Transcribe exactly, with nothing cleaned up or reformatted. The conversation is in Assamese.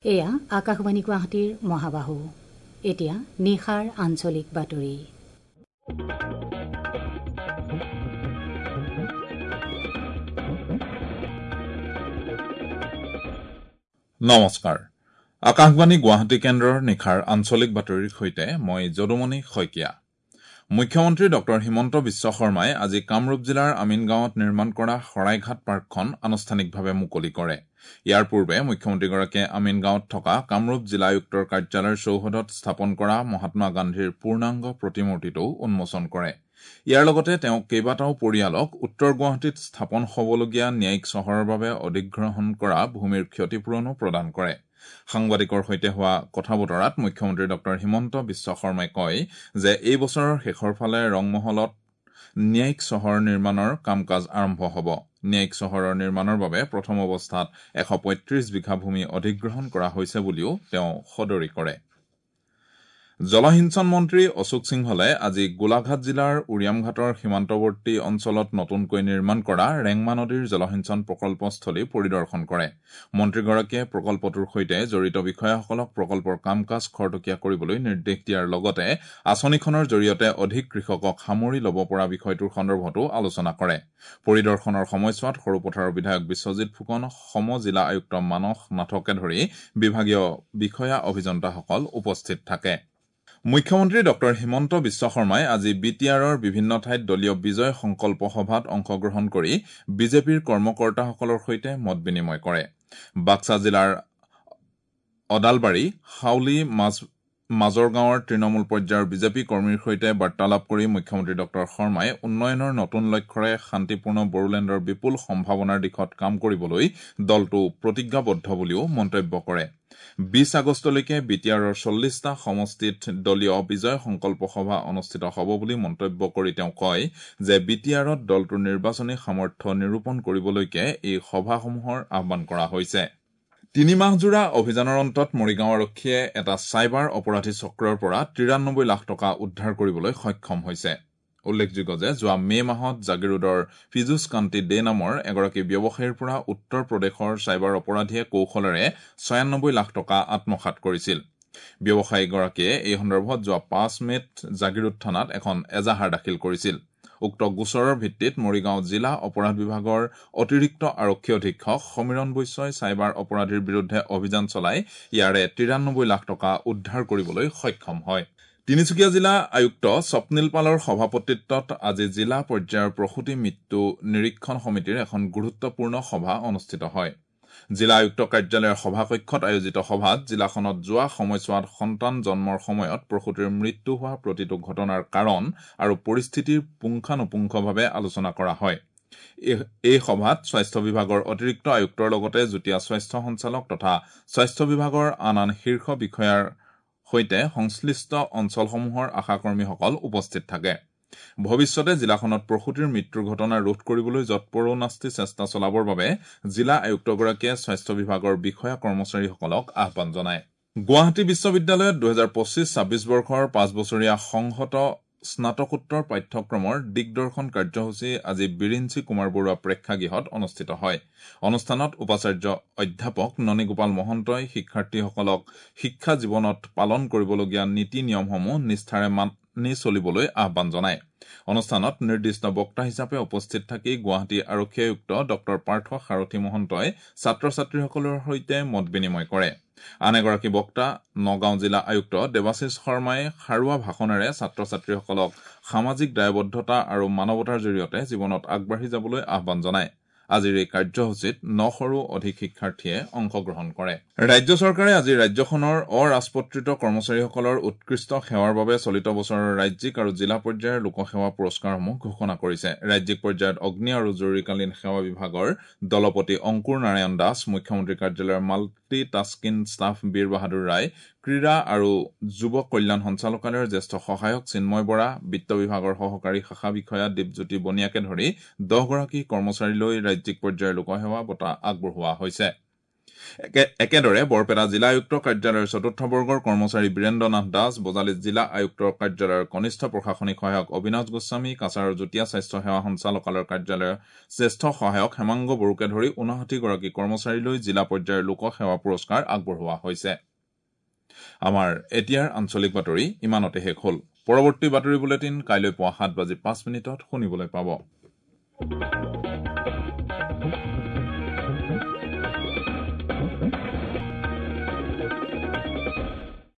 এয়া আকাশবাণী গুৱাহাটীৰ মহাবাহু। এতিয়া নিশাৰ আঞ্চলিক বাতৰি। নমস্কাৰ, আকাশবাণী গুৱাহাটী কেন্দ্ৰৰ নিশাৰ আঞ্চলিক বাতৰিৰ সৈতে মই যদুমণি শইকীয়া। মুখ্যমন্ত্ৰী ডক্টৰ হিমন্ত বিশ্ব শৰ্মাই আজি কামৰূপ জিলাৰ আমিনগাঁৱত নিৰ্মাণ কৰা শৰাইঘাট পাৰ্কখন আনুষ্ঠানিকভাৱে মুকলি কৰে। ইয়াৰ পূৰ্বে মুখ্যমন্ত্ৰীগৰাকীয়ে আমিনগাঁৱত থকা কামৰূপ জিলা আয়ুক্তৰ কাৰ্যালয়ৰ চৌহদত স্থাপন কৰা মহাত্মা গান্ধীৰ পূৰ্ণাংগ প্ৰতিমূৰ্তিটো উন্মোচন কৰে। ইয়াৰ লগতে তেওঁ কেইবাটাও পৰিয়ালক উত্তৰ গুৱাহাটীত স্থাপন হ'বলগীয়া ন্যায়িক চহৰৰ বাবে অধিগ্ৰহণ কৰা ভূমিৰ ক্ষতিপূৰণো প্ৰদান কৰে। সাংবাদিকৰ সৈতে হোৱা কথা বতৰাত মুখ্যমন্ত্ৰী ডক্টৰ হিমন্ত বিশ্ব শৰ্মাই কয় যে এই বছৰৰ শেষৰ ফালে ৰংমহলত ন্যায়িক চহৰ নিৰ্মাণৰ কাম কাজ আৰম্ভ হ'ব। ন্যায়িক চহৰৰ নিৰ্মাণৰ বাবে প্ৰথম অৱস্থাত এশ পঁয়ত্ৰিশ বিঘা ভূমি অধিগ্ৰহণ কৰা হৈছে বুলিও তেওঁ সদৰি কৰে। জলসিঞ্চন মন্ত্ৰী অশোক সিংহলে আজি গোলাঘাট জিলাৰ উৰিয়ামঘাটৰ সীমান্তৱৰ্তী অঞ্চলত নতুনকৈ নিৰ্মাণ কৰা ৰেংমা নদীৰ জলসিঞ্চন প্ৰকল্পস্থলী পৰিদৰ্শন কৰে। মন্ত্ৰীগৰাকীয়ে প্ৰকল্পটোৰ সৈতে জড়িত বিষয়াসকলক প্ৰকল্পৰ কাম কাজ খৰতকীয়া কৰিবলৈ নিৰ্দেশ দিয়াৰ লগতে আঁচনিখনৰ জৰিয়তে অধিক কৃষকক সামৰি ল'ব পৰা বিষয়টোৰ সন্দৰ্ভতো আলোচনা কৰে। পৰিদৰ্শনৰ সময়ছোৱাত সৰুপথাৰৰ বিধায়ক বিশ্বজিৎ ফুকন, সম জিলা আয়ুক্ত মানস নাথকে ধৰি বিভাগীয় বিষয়া অভিযন্তাসকল উপস্থিত থাকে। মুখ্যমন্ত্ৰী ডক্টৰ হিমন্ত বিশ্ব শৰ্মাই আজি বি টি আৰৰ বিভিন্ন ঠাইত দলীয় বিজয় সংকল্প সভাত অংশগ্ৰহণ কৰি বিজেপিৰ কৰ্মকৰ্তাসকলৰ সৈতে মত বিনিময় কৰে। বাক্সা জিলাৰ অদালবাৰী, হাউলী, মাজৰগাঁৱৰ তৃণমূল পৰ্যায়ৰ বিজেপি কৰ্মীৰ সৈতে বাৰ্তালাপ কৰি মুখ্যমন্ত্ৰী ডক্টৰ শৰ্মাই উন্নয়নৰ নতুন লক্ষ্যৰে শান্তিপূৰ্ণ বড়োলেণ্ডৰ বিপুল সম্ভাৱনাৰ দিশত কাম কৰিবলৈ দলটো প্ৰতিজ্ঞাবদ্ধ বুলিও মন্তব্য কৰে। বিশ আগষ্টলৈকে বি টি আৰৰ চল্লিছটা সমষ্টিত দলীয় বিজয় সংকল্প সভা অনুষ্ঠিত হ'ব বুলি মন্তব্য কৰি তেওঁ কয় যে বি টি আৰত দলটোৰ নিৰ্বাচনী সামৰ্থ্য নিৰূপণ কৰিবলৈকে এই সভাসমূহৰ আহ্বান কৰা হৈছে। তিনিমাহজোৰা অভিযানৰ অন্তত মৰিগাঁও আৰক্ষীয়ে এটা চাইবাৰ অপৰাধী চক্ৰৰ পৰা তিৰানব্বৈ লাখ টকা উদ্ধাৰ কৰিবলৈ সক্ষম হৈছে। উল্লেখযোগ্য যে যোৱা মে মাহত জাগিৰোডৰ পীযুষ কান্তি দে নামৰ এগৰাকী ব্যৱসায়ীৰ পৰা উত্তৰ প্ৰদেশৰ চাইবাৰ অপৰাধীয়ে কৌশলেৰে ছয়ানব্বৈ লাখ টকা আত্মসাৎ কৰিছিল। ব্যৱসায়ীগৰাকীয়ে এই সন্দৰ্ভত যোৱা পাঁচ মে'ত জাগিৰোড থানাত এখন এজাহাৰ দাখিল কৰিছিল। উক্ত গোচৰৰ ভিত্তিত মৰিগাঁও জিলা অপৰাধ বিভাগৰ অতিৰিক্ত আৰক্ষী অধীক্ষক সমীৰণ বৈশ্যই চাইবাৰ অপৰাধীৰ বিৰুদ্ধে অভিযান চলাই ইয়াৰে তিৰানব্বৈ লাখ টকা উদ্ধাৰ কৰিবলৈ সক্ষম হয়। তিনিচুকীয়া জিলা আয়ুক্ত স্বপ্নীল পালৰ সভাপতিত্বত আজি জিলা পৰ্যায়ৰ প্ৰসূতি মৃত্যু নিৰীক্ষণ সমিতিৰ এখন গুৰুত্বপূৰ্ণ সভা অনুষ্ঠিত হয়। জিলা আয়ুক্ত কাৰ্যালয়ৰ সভাকক্ষত আয়োজিত সভাত জিলাখনত যোৱা সময়ছোৱাত সন্তান জন্মৰ সময়ত প্ৰসূতিৰ মৃত্যু হোৱা প্ৰতিটো ঘটনাৰ কাৰণ আৰু পৰিস্থিতিৰ পুংখানুপুংখভাৱে আলোচনা কৰা হয়। এই সভাত স্বাস্থ্য বিভাগৰ অতিৰিক্ত আয়ুক্তৰ লগতে যুটীয়া স্বাস্থ্য সঞ্চালক তথা স্বাস্থ্য বিভাগৰ আন আন শীৰ্ষ বিষয়াৰ সৈতে সংশ্লিষ্ট অঞ্চলসমূহৰ আশাকৰ্মীসকল উপস্থিত থাকে। ভৱিষ্যতে জিলাখনত প্ৰসূতিৰ মৃত্যুৰ ঘটনা ৰোধ কৰিবলৈ যৎপৰোনাস্তি চেষ্টা চলাবৰ বাবে জিলা আয়ুক্তগৰাকীয়ে স্বাস্থ্য বিভাগৰ বিষয়া কৰ্মচাৰীসকলক আহ্বান জনায়। গুৱাহাটী বিশ্ববিদ্যালয়ত দুহেজাৰ পঁচিছ ছাব্বিছ বৰ্ষৰ পাঁচ বছৰীয়া সংহত স্নাতকোত্তৰ পাঠ্যক্ৰমৰ দিগদৰ্শন কাৰ্যসূচী আজি বিৰিঞ্চি কুমাৰ বৰুৱা প্ৰেক্ষাগৃহত অনুষ্ঠিত হয়। অনুষ্ঠানত উপাচাৰ্য অধ্যাপক ননীগোপাল মহন্তই শিক্ষাৰ্থীসকলক শিক্ষা জীৱনত পালন কৰিবলগীয়া নীতি নিয়মসমূহ নিষ্ঠাৰে মানি চলিবলৈ আহ্বান জনায়। অনুষ্ঠানত নিৰ্দিষ্ট বক্তা হিচাপে উপস্থিত থাকি গুৱাহাটী আৰক্ষী আয়ুক্ত ডক্টৰ পাৰ্থ সাৰথী মহন্তই ছাত্ৰ ছাত্ৰীসকলৰ সৈতে মত বিনিময় কৰে। আন এগৰাকী বক্তা নগাঁও জিলা আয়ুক্ত দেৱাশীষ শৰ্মাই সাৰুৱা ভাষণেৰে ছাত্ৰ ছাত্ৰীসকলক সামাজিক দায়বদ্ধতা আৰু মানৱতাৰ জৰিয়তে জীৱনত আগবাঢ়ি যাবলৈ আহ্বান জনায়। আজিৰ এই কাৰ্যসূচীত নশৰো অধিক শিক্ষাৰ্থীয়ে অংশগ্ৰহণ কৰে। ৰাজ্য চৰকাৰে আজি ৰাজ্যখনৰ অৰাজপত্ৰিত কৰ্মচাৰীসকলৰ উৎকৃষ্ট সেৱাৰ বাবে চলিত বছৰৰ ৰাজ্যিক আৰু জিলা পৰ্যায়ৰ লোকসেৱা পুৰস্কাৰসমূহ ঘোষণা কৰিছে। ৰাজ্যিক পৰ্যায়ত অগ্নি আৰু জৰুৰীকালীন সেৱা বিভাগৰ দলপতি অংকুৰ নাৰায়ণ দাস, মুখ্যমন্ত্ৰী কাৰ্যালয়ৰ মাল্টি টাস্কিং ষ্টাফ বীৰ বাহাদুৰ ৰায়, ক্ৰীড়া আৰু যুৱ কল্যাণ সঞ্চালকালয়ৰ জ্যেষ্ঠ সহায়ক চিন্ময় বৰা, বিত্ত বিভাগৰ সহকাৰী শাখা বিষয়া দীপজ্যোতি বনিয়াকে ধৰি দহগৰাকী কৰ্মচাৰীলৈ ৰাজ্যিক পৰ্যায়ৰ লোকসেৱা বঁটা আগবঢ়োৱা হৈছে। একেদৰে বৰপেটা জিলা আয়ুক্ত কাৰ্যালয়ৰ চতুৰ্থ বৰ্গৰ কৰ্মচাৰী বীৰেন্দ্ৰ নাথ দাস, বজালী জিলা আয়ুক্তৰ কাৰ্যালয়ৰ কনিষ্ঠ প্ৰশাসনিক সহায়ক অবিনাশ গোস্বামী, কাছাৰৰ যুটীয়া স্বাস্থ্য সেৱা সঞ্চালকালয়ৰ কাৰ্যালয়ৰ জ্যেষ্ঠ সহায়ক হেমাংগ বড়োকে ধৰি ঊনষাঠিগৰাকী কৰ্মচাৰীলৈ জিলা পৰ্যায়ৰ লোক সেৱা পুৰস্কাৰ আগবঢ়োৱা হৈছে। আমাৰ এতিয়াৰ আঞ্চলিক বাতৰি ইমানতে শেষ হ'ল। পৰৱৰ্তী বাতৰি বুলেটিন কাইলৈ পুৱা সাত বাজি পাঁচ মিনিটত শুনিবলৈ পাব।